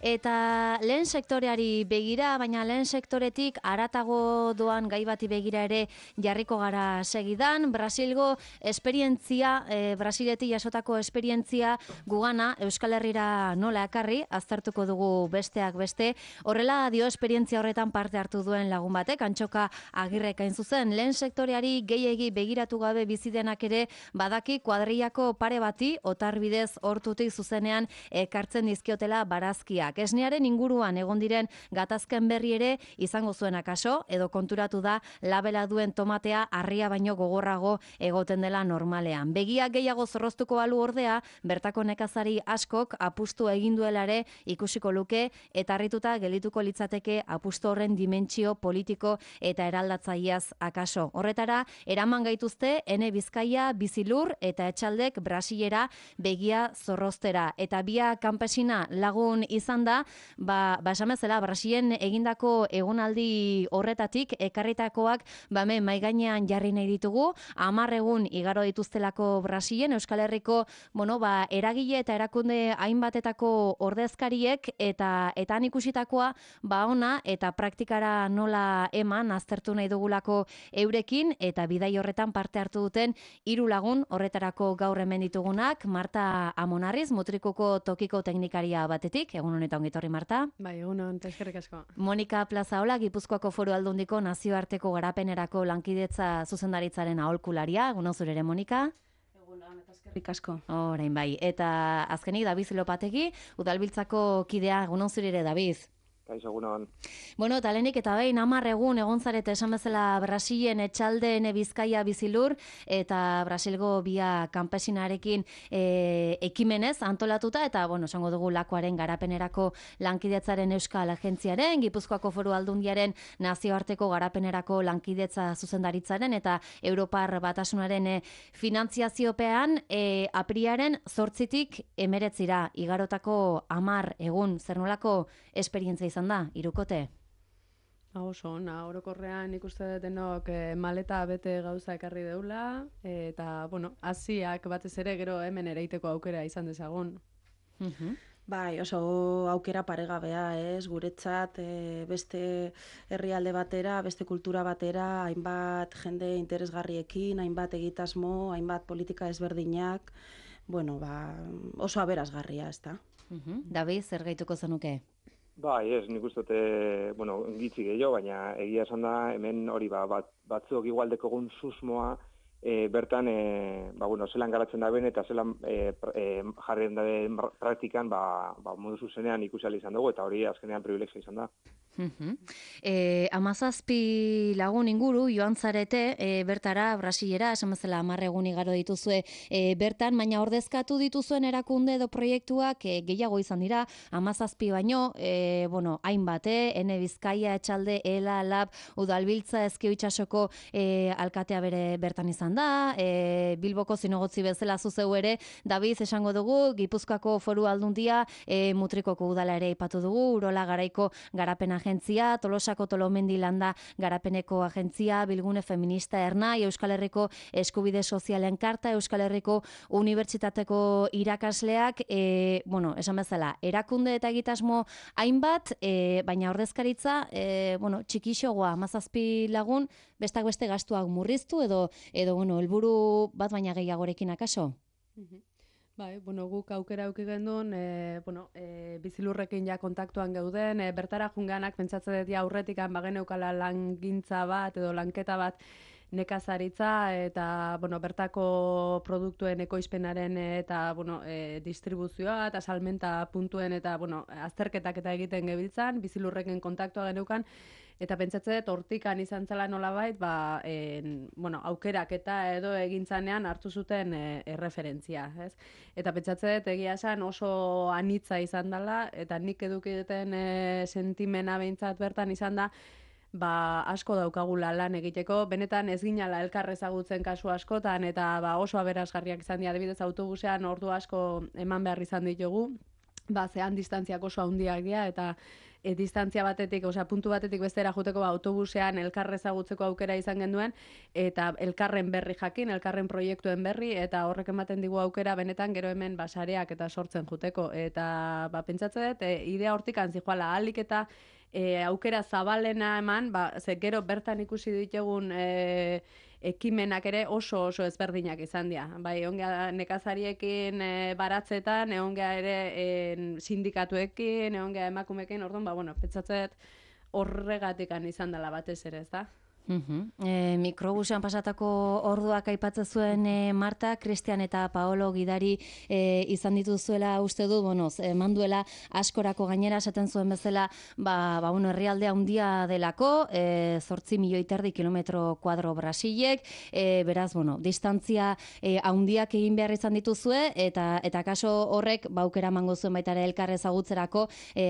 Eta lehen sektoreari begira, baina lehen sektoretik haratago doan gai bati begira ere jarriko gara segidan. Brasilgo esperientzia, Brasiletik jasotako esperientzia gugana Euskal Herrira nola ekarri, aztertuko dugu besteak beste. Horrela dio esperientzia horretan parte hartu duen lagun batek, Antxoka Agirrek hain zuzen, lehen sektoreari gehiegi begiratu gabe bizidenak ere badaki kuadrillako pare bati, otarbidez hortutik zuzenean ekartzen dizkiotela barazkia. Esnearen inguruan egon diren gatazken berri ere izango zuen akaso, edo konturatu da labela duen tomatea harria baino gogorrago egoten dela normalean. Begiak gehiago zorroztuko balu ordea, bertako nekazari askok apustu egin duela ere ikusiko luke, eta harrituta gelituko litzateke apustu horren dimentsio politiko eta eraldatzaileaz akaso. Horretara, eraman gaituzte Ene Bizkaia, Bizilur eta Etxaldek Brasilera begia zorroztera. Eta bia kanpesina lagun izan da, esan bezala, Brasilen egindako egonaldi horretatik ekarritakoak hemen mahai gainean jarri nahi ditugu. 10 egun igaro dituztelako Brasilen, Euskal Herriko eragile eta erakunde hainbatetako ordezkariek eta han ikusitakoa ona eta praktikara nola eman aztertu nahi dugulako eurekin, eta bidai horretan parte hartu duten 3 lagun horretarako gaur hemen ditugunak. Marta Amonarriz, Mutrikuko tokiko teknikaria batetik, egun honetan ongi etorri, Marta. Bai, egun honetan, eskerrik asko. Monika Plazaola, Gipuzkoako Foru Aldundiko nazioarteko garapenerako lankidetza zuzendaritzaren aholkularia, egun zure ere, Monika. Egun eta eskerrik asko. Orain bai, eta azkenik Dabiz Lopategi, Udalbiltzako kidea, egun zure ere, Dabiz. Kaixo, egunon. Bueno, talenik eta behin 10 egun egon zarete esan bezala Brasilen, Etxalde, Ene Bizkaia, Bizilur, eta Brasilgo bia kanpesinarekin ekimenez antolatuta, eta, esango dugu lakoaren garapenerako lankidetzaren Euskal Agentziaren, Gipuzkoako Foru Aldundiaren nazioarteko garapenerako lankidetza zuzendaritzaren, eta Europar Batasunaren finantziaziopean apriaren 8tik 19 igarotako 10 egun, zer nolako esperientzia izan da, hirukote? Oso, orokorrean ikuste denok maleta bete gauza ekarri deula, eta, hasiak batez ere gero hemen ereiteko aukera izan dezagun. Bai, oso aukera paregabea, guretzat beste herrialde batera, beste kultura batera, hainbat jende interesgarriekin, hainbat egitasmo, hainbat politika ezberdinak, oso aberasgarria, ezta. David, zer gehituko zenuke? Bai, nik uste dute, gitzi gehiago, baina egia esan da, hemen hori batzuk igualdeko egun susmoa, bertan, zelan garatzen da ben, eta zelan jarrien da praktikan, modu zuzenean ikusi ahal izan dugu, eta hori azkenean privilegio izan da. 17 lagun inguru joan zarete bertara, Brasilera, esan bezala 10 egun igaro dituzue bertan, baina ordezkatu dituzuen erakunde edo proiektuak gehiago izan dira, 17 baino, hainbat, Ene Bizkaia, Etxalde, Ela, Lab, Udalbiltza, Ezkio Itsasoko alkatea bere bertan izan da, Bilboko zinegotzi bezala zuzeu ere, Daviz esango dugu, Gipuzkoako Foru Aldundia, Mutrikoko udala ere aipatu dugu, Urola Garaiko garapen agentzia, Tolosako Tolomendi Landa garapeneko agentzia, Bilgune Feminista Ernai, Euskal Herriko Eskubide Sozialen Karta, Euskal Herriko Unibertsitateko irakasleak, esan bezala, erakunde eta egitasmo hainbat, baina ordezkaritza, txikixogoa, 17 lagun, bestak beste gastuak murriztu edo helburu bat baina gehiagorekin akaso? Bai, guk aukera auki gendun, Bizilurrekin ja kontaktuan geuden, bertara junganak pentsatzen dut aurretikan bageneukala langintza bat edo lanketa bat nekazaritza eta bertako produktuen ekoizpenaren eta distribuzioa eta salmenta puntuen eta azterketak eta egiten gebiltzan, Bizilurrekin kontaktua geneukan, eta pentsatzen dut hortikan izan zela nolabait, aukerak eta edo egintzanean hartu zuten erreferentzia, ez? Eta pentsatzen dut egia esan oso anitza izan dela, eta nik eduki duten sentimena behintzat bertan izan da, asko daukagula lan egiteko, benetan ez ginala elkar ezagutzen kasu askotan, eta oso aberasgarriak izan dira, adibidez autobusean ordu asko eman behar izan ditugu, zehan distantziak oso handiak dira, eta distantzia batetik, puntu batetik bestera juteko autobusean elkar ezagutzeko aukera izan genuen, eta elkarren berri jakin, elkarren proiektuen berri, eta horrek ematen digu aukera benetan gero hemen sareak eta sortzen juteko. Eta pentsatzen dut, idea hortik zijoala ahalik eta aukera zabalena eman, ze gero bertan ikusi ditugun ekimenak ere oso ezberdinak izan dira. Bai, egon gara nekazariekin baratzetan, egon gara ere sindikatuekin, egon gara emakumeekin, orduan, pentsatzen horregatik izan dela batez ere, ez da? Mikrobusean pasatako orduak aipatzen zuen Marta, Cristian eta Paolo gidari izan dituzuela uste du, manduela askorako gainera esaten zuen bezala, herrialdea handia delako, 8 milioi terdi kilometro kuadro Brasilek, beraz, distantzia handiak egin behar izan dituzue, eta kaso horrek aukera emango zuen baita ere elkar ezagutzerako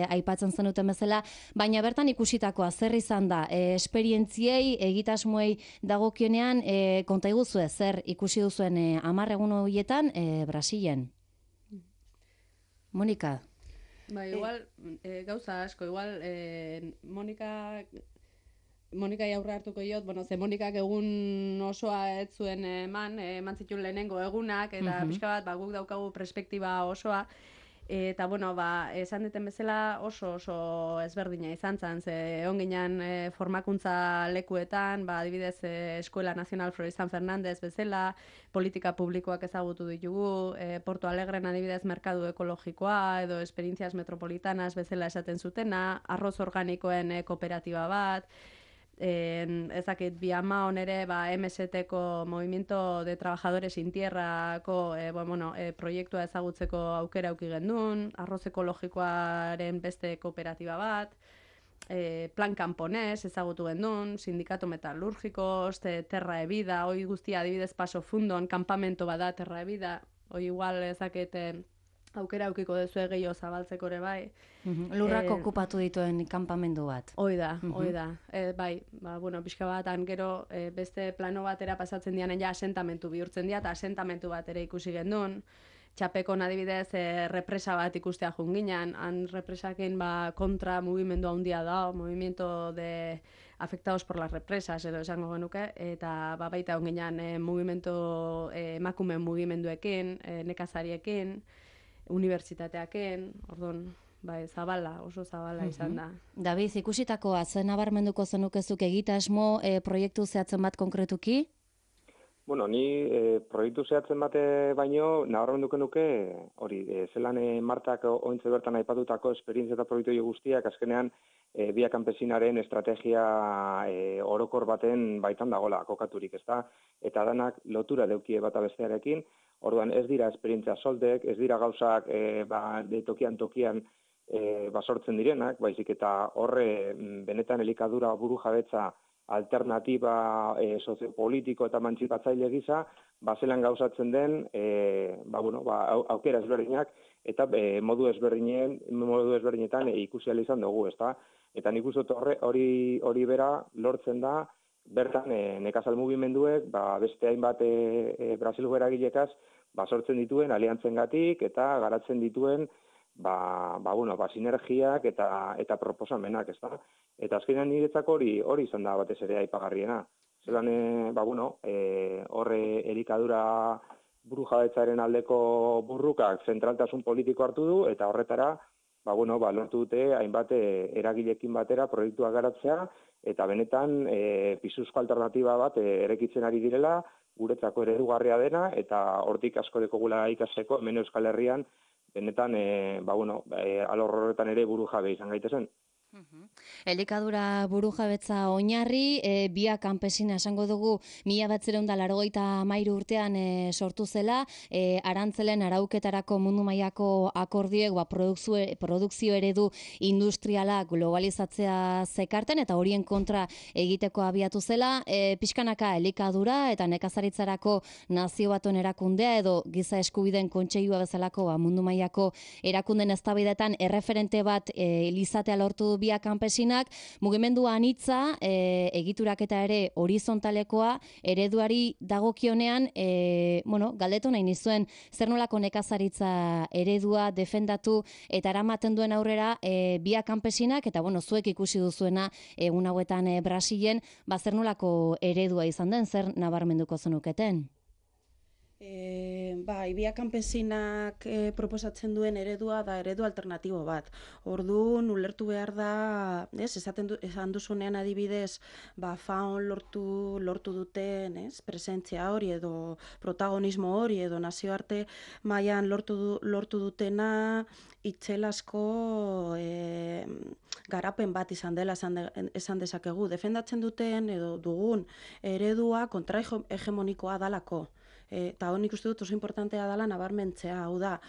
aipatzen zenuten bezala, baina bertan ikusitakoa zer izan da, esperientziei, egitasmoei dagokionean, konta iguzue, zer ikusi duzuen 10 egun horietan Brasilen? Monika? Igual, gauza asko, igual, Monika aurre hartuko jot, ze Monikak egun osoa ez zuen eman zituen lehenengo egunak, eta pixka bat, guk daukagu perspektiba osoa, eta, esan duten bezala oso ezberdina izan zen, ze egon ginen formakuntza lekuetan, adibidez Escuela Nacional Florestan Fernández bezala, politika publikoak ezagutu ditugu, Porto Alegren adibidez merkadu ekologikoa, edo esperientzias metropolitanas bezala esaten zutena, arroz organikoen kooperatiba bat, ezakit, Biamaon ere MST-ko Movimiento de Trabajadores Sin Tierrako proiektua ezagutzeko aukera auki gendun, arroz ekologikoaren beste kooperatiba bat, Plan Camponés ezagutu gendun, Sindikato Metalurgikos, Terra de Vida, hoi guztia adibidez Paso Fundon, kampamento bada Terra de Vida, hoi igual ezakit aukera aukiko dezue gehiago zabaltzeko ere bai. Lurrak okupatu dituen kanpamendu bat. Hoi da. Pixka bat, gero beste plano batera pasatzen dianen asentamentu bihurtzen dira, eta asentamentu bat ere ikusi gendun. Txapekon adibidez represa bat ikustea junginan, han represakin kontra mugimendu handia da, movimiento de afectados por las represas, edo esango genuke, eta baita honginan emakumen mugimenduekin, nekazariekin, unibertsitateaken, orduan, oso zabala izan da. David, ikusitakoa, zen nabarmenduko zenukezuk egitasmo proiektu zehatzen bat konkretuki? Ni proiektu zehatzen bate baino, nabarmenduko nuke, zelan Martak ointze bertan aipatutako esperientzia eta proiektu guztiak, azkenean Via Campesinaren estrategia orokor baten baitan dagoela kokaturik, ezta? Eta danak lotura deukie bata bestearekin, orduan ez dira esperientzia soldek, ez dira gauzak tokian sortzen direnak, baizik eta horre benetan elikadura burujabetza alternatiba soziopolitiko eta emantzipatzaile gisa, zelan gauzatzen den, aukera ezberdinak eta modu ezberdinetan ikusi ahal izan dugu, ezta? Eta nik uste hori bera lortzen da, bertan nekazal mugimenduek, beste hainbat Brasilgo eragilekaz, sortzen dituen aliantzengatik eta garatzen dituen sinergiak eta proposamenak, ezta? Eta azkenean niretzako hori izan da batez ere aipagarriena. Zelan, horre elikadura burujabetzaren aldeko burrukak zentraltasun politiko hartu du, eta horretara, lortu dute hainbat eragilekin batera proiektuak garatzea, eta benetan pisuzko alternatiba bat erekitzen ari direla, guretzako eredugarria dena, eta hortik asko dekogula ikasteko, hemen Euskal Herrian, benetan, alor horretan ere burujabe izan gaitezen. Elikadura burujabetza oinarri, Via Campesina esango dugu 1983 urtean sortu zela, arantzelen arauketarako mundu mailako akordioek produkzio eredu industriala globalizatzea zekarten, eta horien kontra egiteko abiatu zela, pixkanaka elikadura eta nekazaritzarako nazio batuen erakundea edo giza eskubideen kontseilua bezalako mundu mailako erakunden eztabaidetan erreferente bat izatea lortu Via Campesinak, mugimendu anitza, egituraketa ere horizontalekoa, ereduari dagokionean, galdetu nahi nizuen, zer nolako nekazaritza eredua defendatu eta eramaten duen aurrera Via Campesinak, eta zuek ikusi duzuena egun hauetan Brasilen, zer nolako eredua izan den, zer nabarmenduko zenuketen? Via Campesinak proposatzen duen eredua da eredu alternatibo bat. Orduan ulertu behar da, esan duzunean adibidez, faun lortu duten, presentzia hori edo protagonismo hori edo nazioarte mailan lortu dutena itzelasko garapen bat izan dela esan dezakegu. Defendatzen duten edo dugun eredua kontrahegemonikoa dalako. Eta honik uste dut oso importantea dela nabarmentzea, hau da,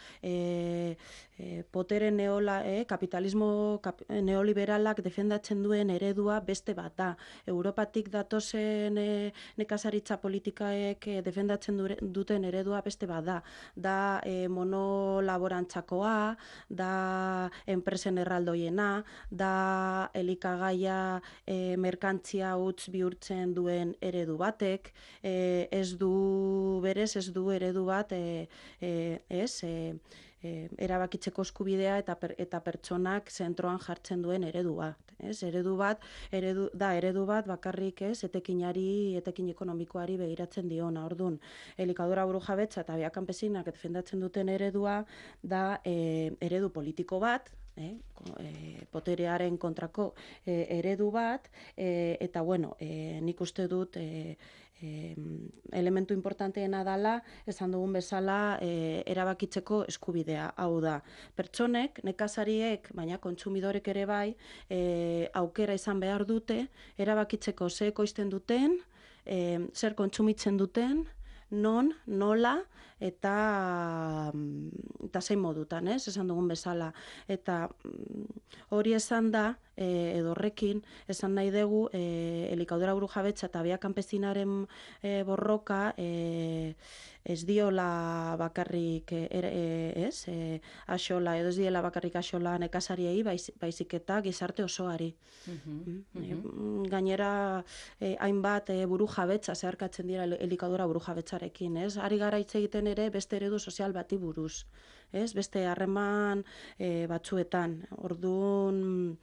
potere kapitalismo neoliberalak defendatzen duen eredua beste bat da. Europatik datozen nekazaritza politikaek defendatzen duten eredua beste bat da. Da monolaborantzakoa, da enpresen erraldoiena, da elikagaia merkantzia utz bihurtzen duen eredu batek, ez du eredu bat erabakitzeko eskubidea eta pertsonak zentroan jartzen duen eredu bat. Eredu bat bakarrik etekin ekonomikoari begiratzen diona. Orduan, elikadura burujabetza eta Via Campesinak defendatzen duten eredua da eredu politiko bat, poterearen kontrako eredu bat, eta nik uste dut elementu importanteena dela, esan dugun bezala, erabakitzeko eskubidea. Hau da, pertsonek, nekazariek, baina kontsumidorek ere bai, aukera izan behar dute, erabakitzeko ze ekoizten duten, zer kontsumitzen duten, non, nola, eta zein modutan, esan dugun bezala. Eta hori esan da, edo horrekin, esan nahi dugu, elikadura burujabetza eta Via Campesinaren borroka ez diola bakarrik axola, edo ez diela bakarrik axola nekazariei, baizik eta gizarte osoari. Gainera, hainbat burujabetza zeharkatzen dira elikadura burujabetzarekin, ari gara hitz egiten ere beste eredu sozial bati buruz, beste harreman batzuetan. Orduan,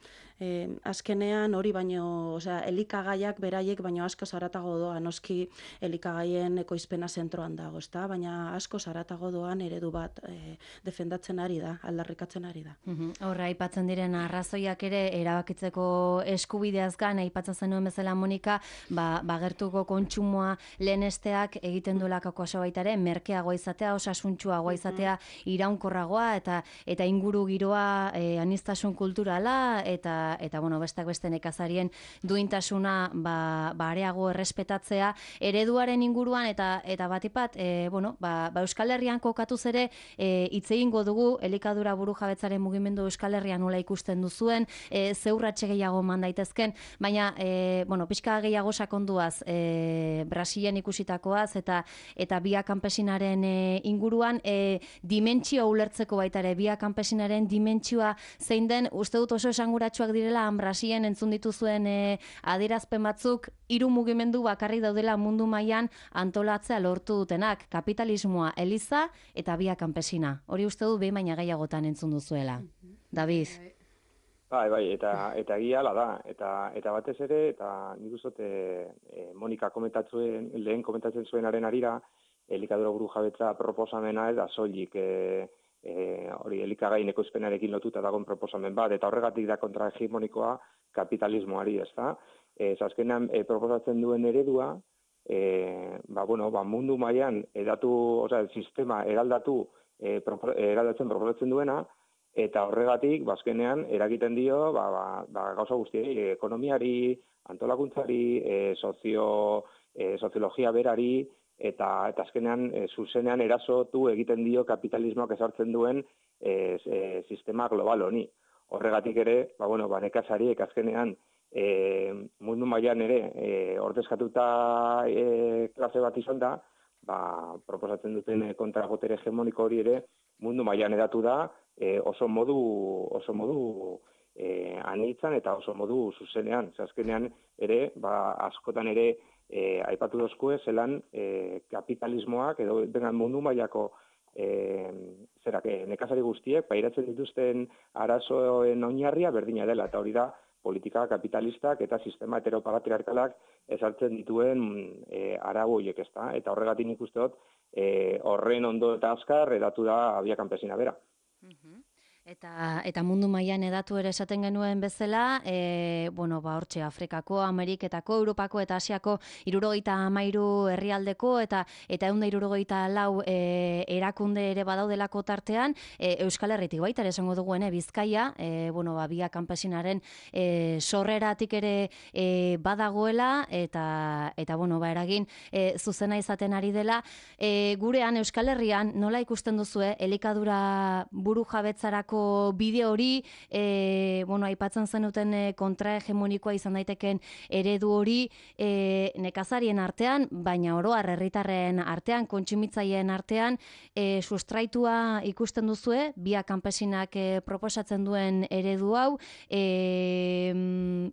azkenean hori baino, elikagaiak beraiek baino asko zaratago doa, noski elikagaien ekoizpena zentroan dago, baina asko zaratago doan eredu bat defendatzen ari da, aldarrikatzen ari da. Horra, aipatzen diren arrazoiak ere erabakitzeko eskubideaz gan, aipatzen zenuen bezala Monika, gertuko kontsumoa lehenesteak egiten duelako oso baitare, merkeagoa izatea, osasuntsuagoa izatea, iraunkorragoa eta inguru giroa aniztasun kulturala eta bestak beste nekazarien duintasuna areago errespetatzea ereduaren inguruan eta batipat Euskal Herrian kokatuz ere hitz egingo dugu elikadura burujabetzaren mugimendu Euskal Herrian nola ikusten duzuen, zeurratxe gehiago man daitezken, baina pixka gehiago sakonduaz Brasilen ikusitakoaz eta Via Campesinaren inguruan dimentsio ulertzeko baita ere Via Campesinaren dimentsioa zein den, uste dut oso esanguratsuak direla Brasilen entzun dituzuen adierazpen batzuk, hiru mugimendu bakarrik daudela mundu mailan antolatzea lortu dutenak, kapitalismoa, eliza eta Via Campesina. Hori uste dut behin baina gehiagotan entzun duzuela. David. Bai, eta egia hala da, eta batez ere, eta nik uste Monika lehen komentatzen zuenaren arira, elikadura burujabetza proposamena ez da soilik hori elikagaien ekoizpenarekin lotuta dagoen proposamen bat, eta horregatik da kontrahegemonikoa kapitalismoari, ezta? Azkenean proposatzen duen eredua, mundu mailan sistema eraldatzen proposatzen duena, eta horregatik, azkenean, eragiten dio, gauza guztiei, ekonomiari, antolakuntzari, soziologia berari, eta azkenean, zuzenean erasotu egiten dio kapitalismoak ezartzen duen sistema global honi. Horregatik ere, nekazariek azkenean, mundu mailan ere, ordezkatuta klase bat izan da, proposatzen duten kontrabotere hegemoniko hori ere, mundu mailan edatu da, oso modu anitzan eta oso modu zuzenean. Azkenean ere, askotan ere aipatu dozkue, zelan kapitalismoak edo mundu mailako nekazari guztiek pairatzen dituzten arazoen oinarria berdina dela, eta hori da politika kapitalistak eta sistema heteropatriarkalak ezartzen dituen arau horiek, ezta? Eta horregatik nik uste dut horren ondo eta azkar edatu da Via Campesina bera. Eta mundu mailan edatu ere esaten genuen bezala, hortxe Afrikako, Ameriketako, Europako eta Asiako 73 herrialdeko eta 174 erakunde ere badaudelako tartean, Euskal Herritik baita ere esango duguen Bizkaia, Via Campesinaren sorreratik ere badagoela eta eragin zuzena izaten ari dela. Gurean Euskal Herrian nola ikusten duzue elikadura burujabetzarako bide hori, aipatzen zenuten kontrahegemonikoa izan daiteken eredu hori nekazarien artean, baina oro har herritarren artean, kontsumitzaileen artean, sustraitua ikusten duzue, Via Campesinak proposatzen duen eredu hau,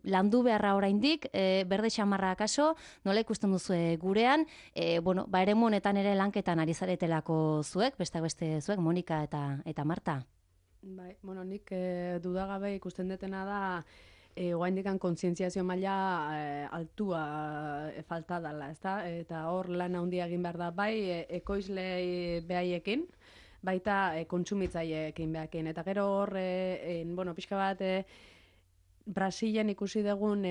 landu beharra oraindik, berde xamarra akaso, nola ikusten duzue gurean, eremu honetan ere lanketan ari zaretelako zuek, besteak beste zuek, Monika eta Marta. Bai, nik dudagabe ikusten detena da oraindikan kontzientziazio maila altua falta dela, ezta? Eta hor lan handia egin behar da bai ekoizle behaiekin, baita kontsumitzaileekin behaiekin. Eta gero hor, pixka bat Brasilen ikusi dugun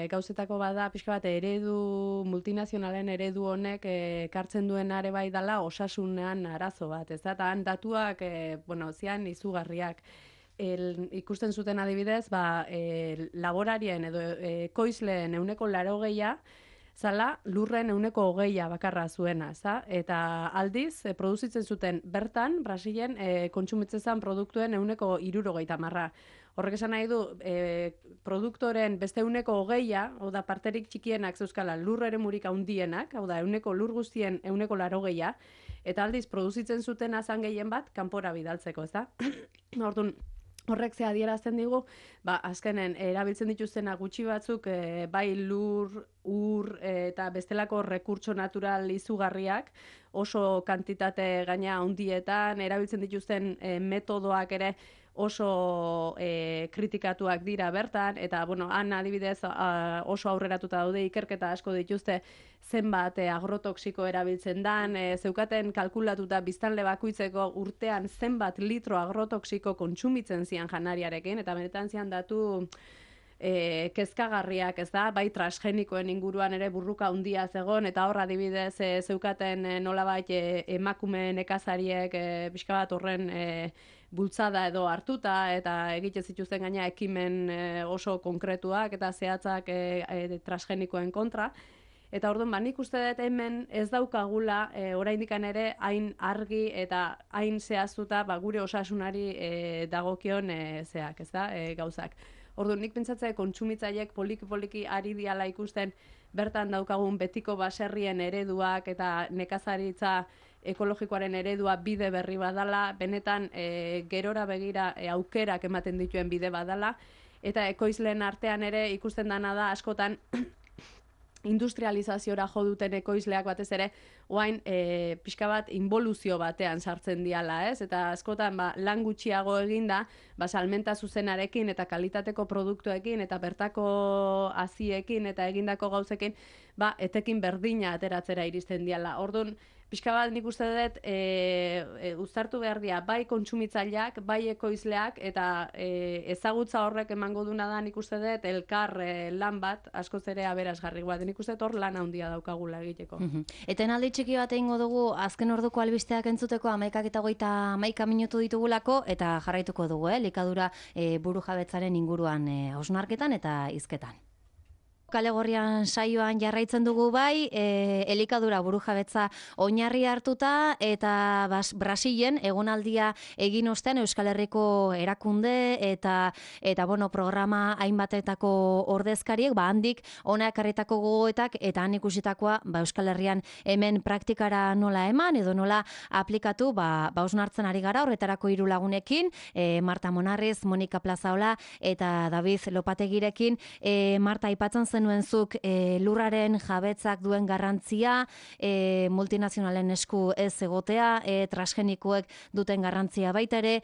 gauzetako bada pixka bat eredu, multinazionalen eredu honek ekartzen duen are bai dela osasunean arazo bat, ez da? Eta han datuak, zian izugarriak. Ikusten zuten adibidez, laborarien edo ekoizleen 80% zala lurren 20% bakarra zuena, za? Eta aldiz, produzitzen zuten bertan, Brasilen kontsumitzen zen produktuen 60%. Horrek esan nahi du, produktoren beste 20%, hau da parterik txikienak zeuzkala lur eremurik handienak, hau da lur guztien 80%, eta aldiz produzitzen zuten azan gehien bat kanpora bidaltzeko, ez da? Orduan, horrek ze adierazten digu, azkenen erabiltzen dituztena gutxi batzuk, bai lur, ur eta bestelako rekurtso natural izugarriak, oso kantitate gaina handietan, erabiltzen dituzten metodoak ere oso kritikatuak dira bertan, eta han adibidez oso aurreratuta daude ikerketa asko dituzte zenbat agrotoxiko erabiltzen dan, zeukaten kalkulatuta biztanle bakoitzeko urtean zenbat litro agrotoxiko kontsumitzen zian janariarekin, eta benetan zian datu kezkagarriak, ez da, bai transgenikoen inguruan ere burruka handia zegon, eta hor adibidez zeukaten nolabait emakume nekazariek pixka bat horren bultzada edo hartuta, eta egiten zituzten gaina ekimen oso konkretuak eta zehatzak transgenikoen kontra. Eta orduan, nik uste dut hemen ez daukagula oraindikan ere hain argi eta hain zehaztuta gure osasunari dagokion zeak, ez da, gauzak. Orduan, nik pentsatzea kontsumitzaileek poliki-poliki ari diala ikusten bertan daukagun betiko baserrien ereduak eta nekazaritza ekologikoaren eredua bide berri badala, benetan gerora begira aukerak ematen dituen bide badala, eta ekoizleen artean ere ikusten dana da askotan industrializaziora jo duten ekoizleak batez ere, oain pixka bat involuzio batean sartzen diala, ez? Eta askotan lan gutxiago eginda, salmenta zuzenarekin eta kalitateko produktuekin eta bertako haziekin eta egindako gauzekin, etekin berdina ateratzera iristen diala. Orduan, pixka bat nik uste dut uztartu behar dira bai kontsumitzaileak, bai ekoizleak, eta ezagutza horrek emango duna da nik uste dut elkar lan bat, askoz ere aberasgarri bat, nik uste dut hor lan handia daukagula egiteko. Etenaldi txiki bat egingo dugu azken orduko albisteak entzuteko 11:31 minutu ditugulako, eta jarraituko dugu, elikadura burujabetzaren inguruan hausnarketan eta hizketan. Kalegorrian saioan jarraitzen dugu bai, elikadura burujabetza oinarri hartuta eta Brasilen egonaldia egin ostean Euskal Herriko erakunde eta bueno, programa hainbatetako ordezkariek handik hona ekarritako gogoetak eta han ikusitakoa Euskal Herrian hemen praktikara nola eman edo nola aplikatu hausnartzen ari gara horretarako 3 lagunekin, Marta Monarriz, Monika Plazaola eta David Lopategirekin. Marta, aipatzen zenuen zuk lurraren jabetzak duen garrantzia, multinazionalen esku ez egotea, transgenikoek duten garrantzia baita ere,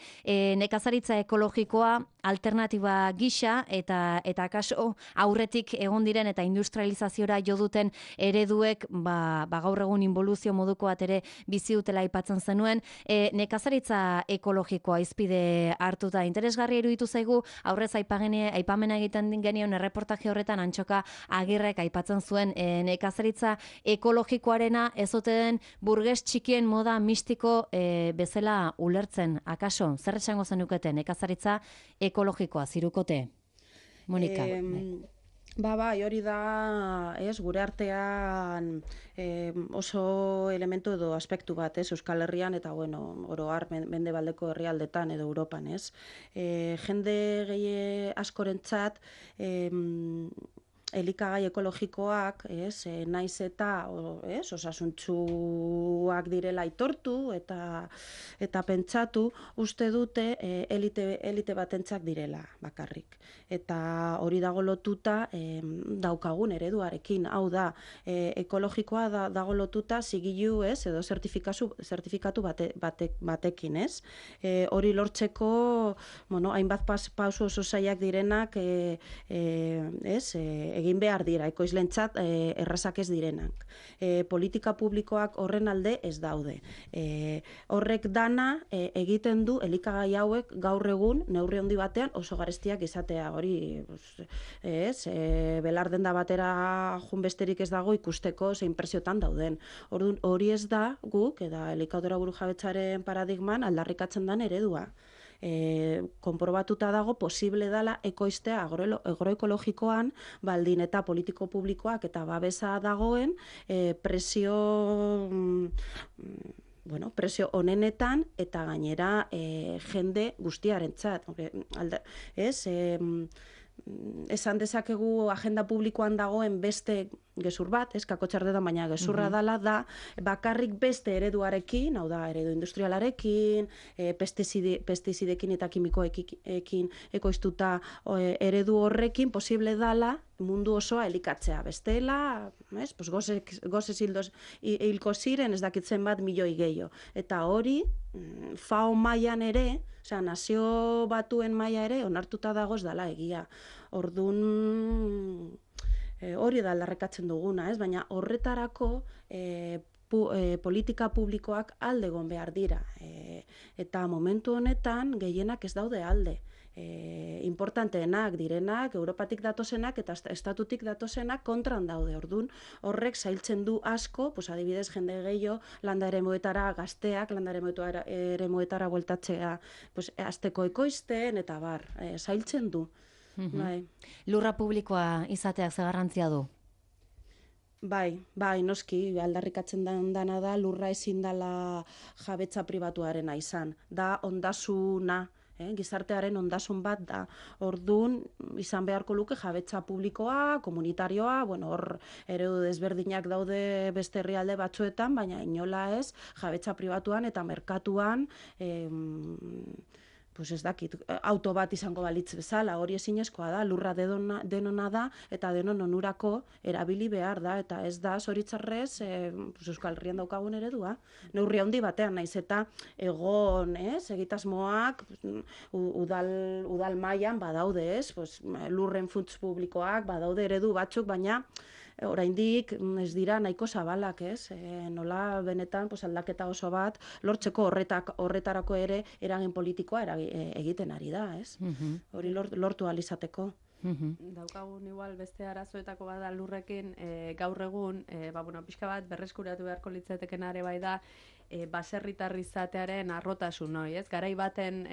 nekazaritza ekologikoa alternatiba gisa eta kaso aurretik egon diren eta industrializaziora jo duten ereduek gaur egun involuzio moduko bat ere bizi dutela aipatzen zenuen, nekazaritza ekologikoa izpide hartuta interesgarria iruditu zaigu, aurrez aipamena egiten genion erreportaje horretan Antxoka Agirrek aipatzen zuen nekazaritza ekologikoarena ezoten burges txikien moda mistiko bezala ulertzen. Akaso, zer esango zenukete nekazaritza ekologikoa, zirukote? Monika. Bai, hori da, gure artean oso elementu edo aspektu bat, Euskal Herrian eta, oro har, mendebaldeko herrialdetan edo Europan, jende gehi askorentzat, elikagai ekologikoak, naiz eta osasuntsuak direla aitortu eta pentsatu, uste dute elite batentzat direla bakarrik. Eta hori dago lotuta daukagun ereduarekin, hau da, ekologikoa dago lotuta zigilu edo zertifikatu batekin, hori lortzeko, hainbat pauso oso zailak direnak, egin behar dira, ekoizlentzat errazak ez direnak. Politika publikoak horren alde ez daude. Horrek dana egiten du elikagai hauek gaur egun neurri handi batean oso garestiak izatea. Hori, belar denda batera jun besterik ez dago ikusteko zein presiotan dauden. Hori ez da guk, eta elikadura burujabetzaren paradigman aldarrikatzen den eredua. Konprobatuta dago posible dela ekoiztea agroekologikoan baldin eta politiko publikoak eta babesa dagoen presio onenetan eta gainera jende guztiarentzat. Esan dezakegu agenda publikoan dagoen beste gezur bat, kakotxardetan, baina gezurra dela da bakarrik beste ereduarekin, hau da, eredu industrialarekin, pestizidekin eta kimikoekin ekoiztuta eredu horrekin posible dela mundu osoa elikatzea. Bestela, gozez hilko ziren ez dakitzen bat milioi gehiago. Eta hori, FAO mailan ere, nazio batuen maila ere, onartuta dagoz dela egia. Orduan, hori da aldarrikatzen duguna, baina horretarako politika publikoak alde egon behar dira. Eta momentu honetan gehienak ez daude alde. Importanteenak direnak, Europatik datozenak eta estatutik datozenak kontran daude. Orduan, horrek zailtzen du asko, adibidez jende gehiago landa eremuetara gazteak, landa eremuetara bueltatzea azteko ekoizten eta bar, zailtzen du. Lurra publikoa izateak ze garrantzia du? Bai, noski, aldarrikatzen dana da lurra ezin dela jabetza pribatuarena izan. Da ondasuna, gizartearen ondasun bat da. Orduan, izan beharko luke jabetza publikoa, komunitarioa, hor eredu desberdinak daude beste herrialde batzuetan, baina inola ez, jabetza pribatuan eta merkatuan, ez dakit, auto bat izango balitz bezala, hori ezinezkoa da, lurra denona da, eta denon onurako erabili behar da, eta ez da, zoritzarrez, Euskal Herrian daukagun eredua. Neurri handi batean, naiz eta egon, egitasmoak, udal mailan badaude, lurren funts publikoak, badaude eredu batzuk, baina oraindik ez dira nahiko zabalak, nola benetan aldaketa oso bat lortzeko horretarako ere eragin politikoa egiten ari da, hori lortu ahal izateko. Daukagun igual beste arazoetako bada lurrekin gaur egun, pixka bat berreskuratu beharko litzateken are bai da baserritar izatearen arrotasun, garai baten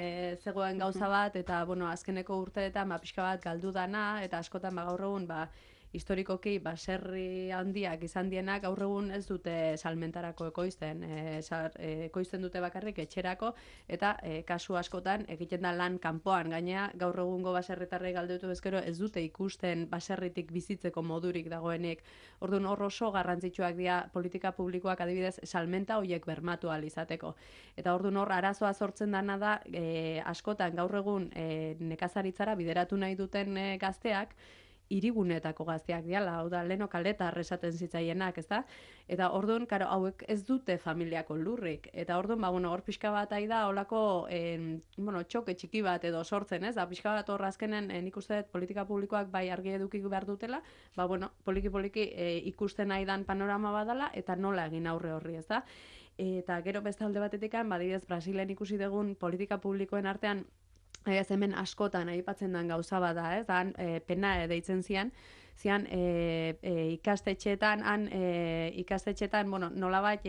zegoen gauza bat eta azkeneko urteetan pixka bat galdu dana eta askotan gaur egun historikoki baserri handiak izan dienak gaur egun ez dute salmentarako ekoizten, ekoizten dute bakarrik etxerako, eta kasu askotan egiten da lan kanpoan. Gainea gaur egungo baserritarrei galdetu ezkero ez dute ikusten baserritik bizitzeko modurik dagoenik. Orduan hor oso garrantzitsuak dira politika publikoak adibidez salmenta horiek bermatu ahal izateko. Eta orduan hor arazoa sortzen dana da askotan gaur egun nekazaritzara bideratu nahi duten gazteak hirigunetako gazteak diala, hau da, leno kaletar esaten zitzaienak, ezta? Eta orduan, karo, hauek ez dute familiako lurrik. Eta orduan, hor pixka bat da, holako, txoke txiki bat edo sortzen, ez? Da, pixka bat hor azkenen, nik uste dut politika publikoak bai argi edukik behar dutela, poliki-poliki ikusten aidan panorama badala, eta nola egin aurre horri, ez da? Eta gero beste alde batetik, badidez, Brasilen ikusi dugun politika publikoen artean, hemen askotan aipatzen den gauza bada, ez? Dan pena deitzen zian ikastetxeetan, nolabait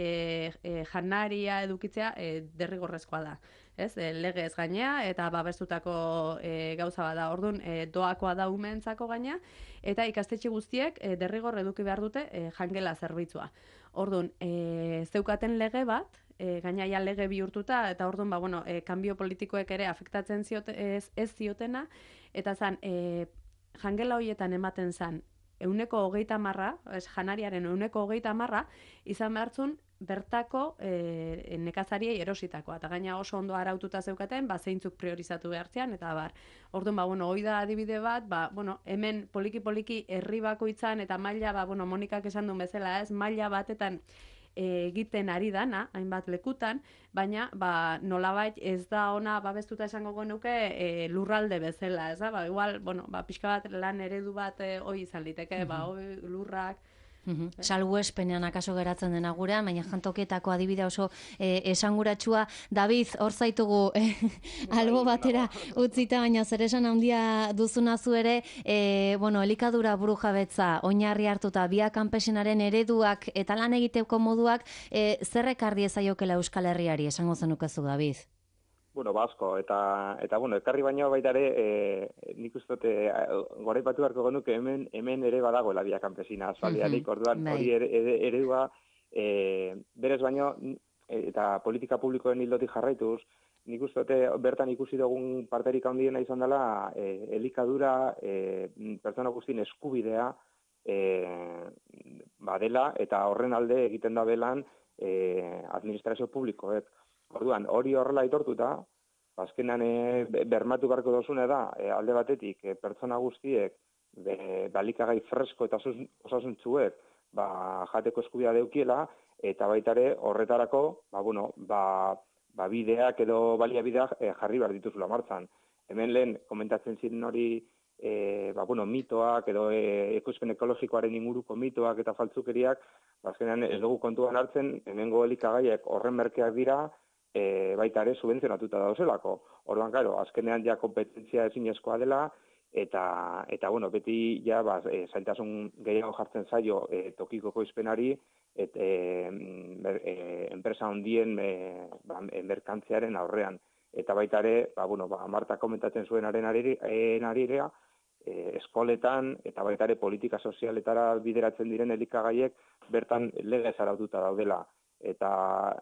janaria edukitzea derrigorrezkoa da. Ez? Legez gainea eta babestutako gauza bada. Orduan doakoa da umeentzako gainea eta ikastetxe guztiek derrigor eduki behar dute jangela zerbitzua. Orduan, zeukaten lege bat, gainaia lege bihurtuta, eta orduan, kanbio politikoek ere afektatzen ez ziotena, eta zan, jangela horietan ematen zan, 30%, janariaren 30%, izan behartzun bertako nekazariei erositakoa. Eta gaina oso ondo araututa zeukaten, zeintzuk priorizatu behartzean, eta bar. Orduan, hoi da adibide bat, hemen poliki-poliki herri bakoitzan, eta maila, Monikak esan duen bezala, ez, maila batetan egiten ari dana, hainbat lekutan, baina nolabait ez da ona babestuta esango genuke lurralde bezala, ez da? Igual, pixka bat lan eredu bat hoi izan liteke, lurrak, Salbuespenean akaso geratzen dena gurean, baina jantokietako adibidea oso esanguratsua. David, hor zaitugu albo batera utzita, baina zer esan handia duzuna zu ere, elikadura burujabetza oinarri hartuta Via Campesinaren ereduak eta lan egiteko moduak zer ekarri ezaiokela Euskal Herriari, esango zenukezu, David? Asko, eta ekarri baino baita ere, nik uste goraipatu beharko genuke hemen ere badagoela Via Campesina aspaldianik, orduan hori eredua berez baino, eta politika publikoen hildotik jarraituz, nik uste bertan ikusi dugun parterik handiena izan dela elikadura pertsona guztien eskubidea badela, eta horren alde egiten da belan administrazio publikoek. Orduan, hori horrela aitortuta, azkenan bermatu beharko dozune da, alde batetik, pertsona guztiek, balikagai fresko eta osasuntzuek, jateko eskubidea deukiela, eta baitare horretarako, bideak edo baliabideak jarri behar dituzula martzan. Hemen lehen, komentatzen ziren hori, mitoak edo ekoizpen ekologikoaren inguruko mitoak eta faltzukeriak, azkenan ez dugu kontuan hartzen, hemengo elikagaiek horren merkeak dira, baita ere subentzionatuta dauzelako. Orduan, azkenean ja kompetentzia ezinezkoa dela, eta beti zailtasun gehiago jartzen zaio tokiko ekoizpenari, enpresa handien merkantziaren aurrean. Eta baita ere, Marta komentatzen zuenaren arirea, eskoletan eta baita ere politika sozialetara bideratzen diren elikagaiek bertan legez araututa daudela. Eta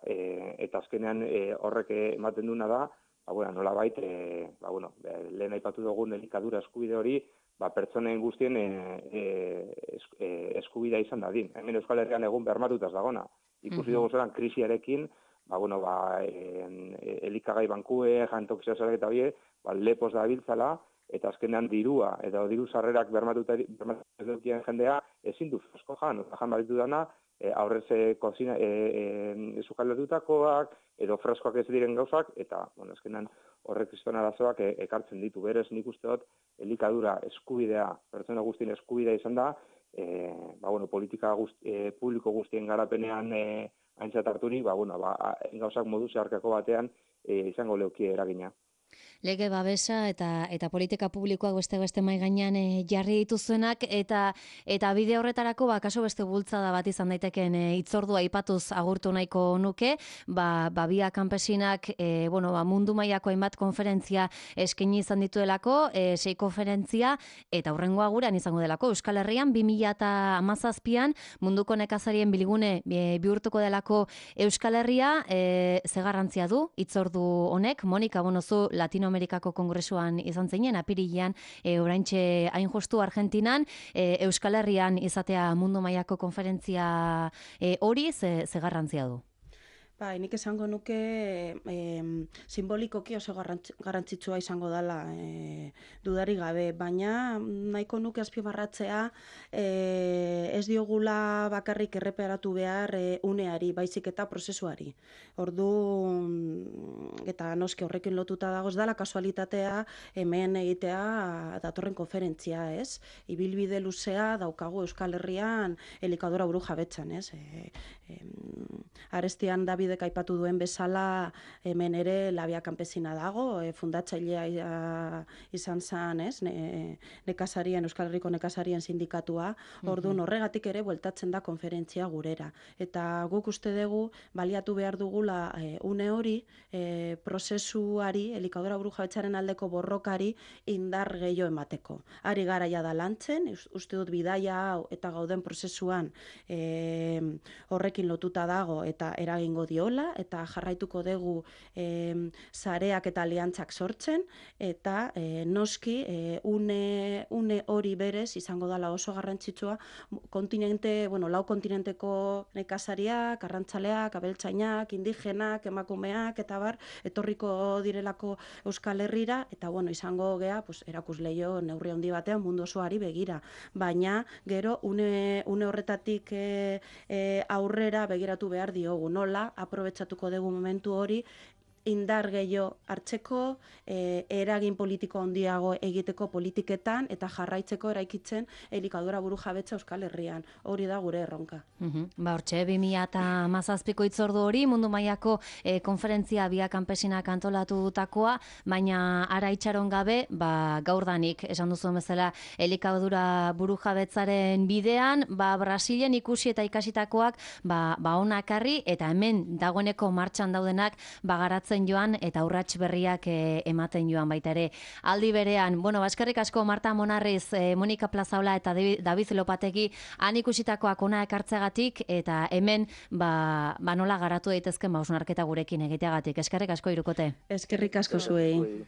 azkenean horrek ematen duna da, nolabait, lehen aipatu dugun elikadura eskubide hori, pertsonen guztien eskubidea izan dadin. Hemen Euskal Herrian egun bermatutaz dagona. Ikusi dugu zelan krisiarekin, elikagai bankue, jantokizia zelak eta hori, lepos da biltzala, eta azkenean dirua, edo diru sarrerak bermatuta ez dukien jendea, ezin du fresko jan baditu dana, aurrez kozina sukaldatutakoak edo freskoak ez diren gauzak, eta azkenan horrek kriston arazoak ekartzen ditu. Berez nik uste dut elikadura eskubidea, pertsona guztien eskubidea izan da, politika publiko guztien garapenean aintzat harturik, gauzak modu zeharkako batean izango leukie eragina. Lege babesa eta politika publikoak beste mai gainean jarri dituzuenak eta bide horretarako kaso beste bultzada bat izan daiteken hitzordua aipatuz agurtu nahiko nuke, Bia Kanpesinak mundu mailako hainbat konferentzia eskaini izan dituelako, 6 konferentzia eta hurrengoa gurean izango delako Euskal Herrian 2017an munduko nekazarien bilgune bihurtuko delako Euskal Herria, ze garrantzia du hitzordu honek? Monika, zu Latinoamerikako kongresuan izan zinen, apirilean, oraintxe hain justu Argentinan, Euskal Herrian izatea mundu mailako konferentzia hori, ze garrantzia du? Nik esango nuke simbolikoki oso garrantzitsua izango dela dudari gabe, baina nahiko nuke azpimarratzea ez diogula bakarrik erreparatu behar uneari, baizik eta prozesuari. Eta noski horrekin lotuta dago, ez dela kasualitatea hemen egitea datorren konferentzia, ez? Ibilbide luzea daukagu Euskal Herrian elikadura burujabetzan, ez? Arestian Davidek aipatu duen bezala hemen ere Labia Kanpesina dago, fundatzailea izan zen, ez? Euskal Herriko nekazarien sindikatua, orduan horregatik ere bueltatzen da konferentzia gurera. Eta guk uste dugu baliatu behar dugula une hori prozesuari, elikadura burujabetzaren aldeko borrokari indar gehiago emateko. Ari garaia da lantzen, uste dut bidaia hau eta gauden prozesuan horrekin lotuta dago eta eragingo diola, eta jarraituko dugu sareak eta aliantzak sortzen, eta noski une hori berez izango dela oso garrantzitsua lau kontinenteko nekazariak, arrantzaleak, abeltzainak, indigenak, emakumeak, eta etorriko direlako Euskal Herrira, eta izango gea erakusleio neurri handi batean mundu osoari begira. Baina gero une horretatik aurrera begiratu behar diogu, nola aprobetxatuko dugu momentu hori indar gehiago hartzeko, eragin politiko handiago egiteko politiketan eta jarraitzeko eraikitzen elikadura burujabetza Euskal Herrian. Hori da gure erronka. Hortxe, 2017ko hitzordu hori, mundu mailako konferentzia Bia Kanpesinak antolatutakoa, baina ara itxaron gabe, gaurdanik, esan duzuen bezala, elikadura burujabetzaren bidean, Brasilen ikusi eta ikasitakoak ona ekarri, eta hemen dagoeneko martxan daudenak garatzen joan eta urrats berriak ematen joan baita ere. Aldi berean, eskerrik asko Marta Monarriz, Monika Plazaola eta David Lopategi han ikusitakoak ona ekartzeagatik eta hemen nola garatu daitezken hausnarketa gurekin egiteagatik. Eskerrik asko hirukote. Eskerrik asko zuei.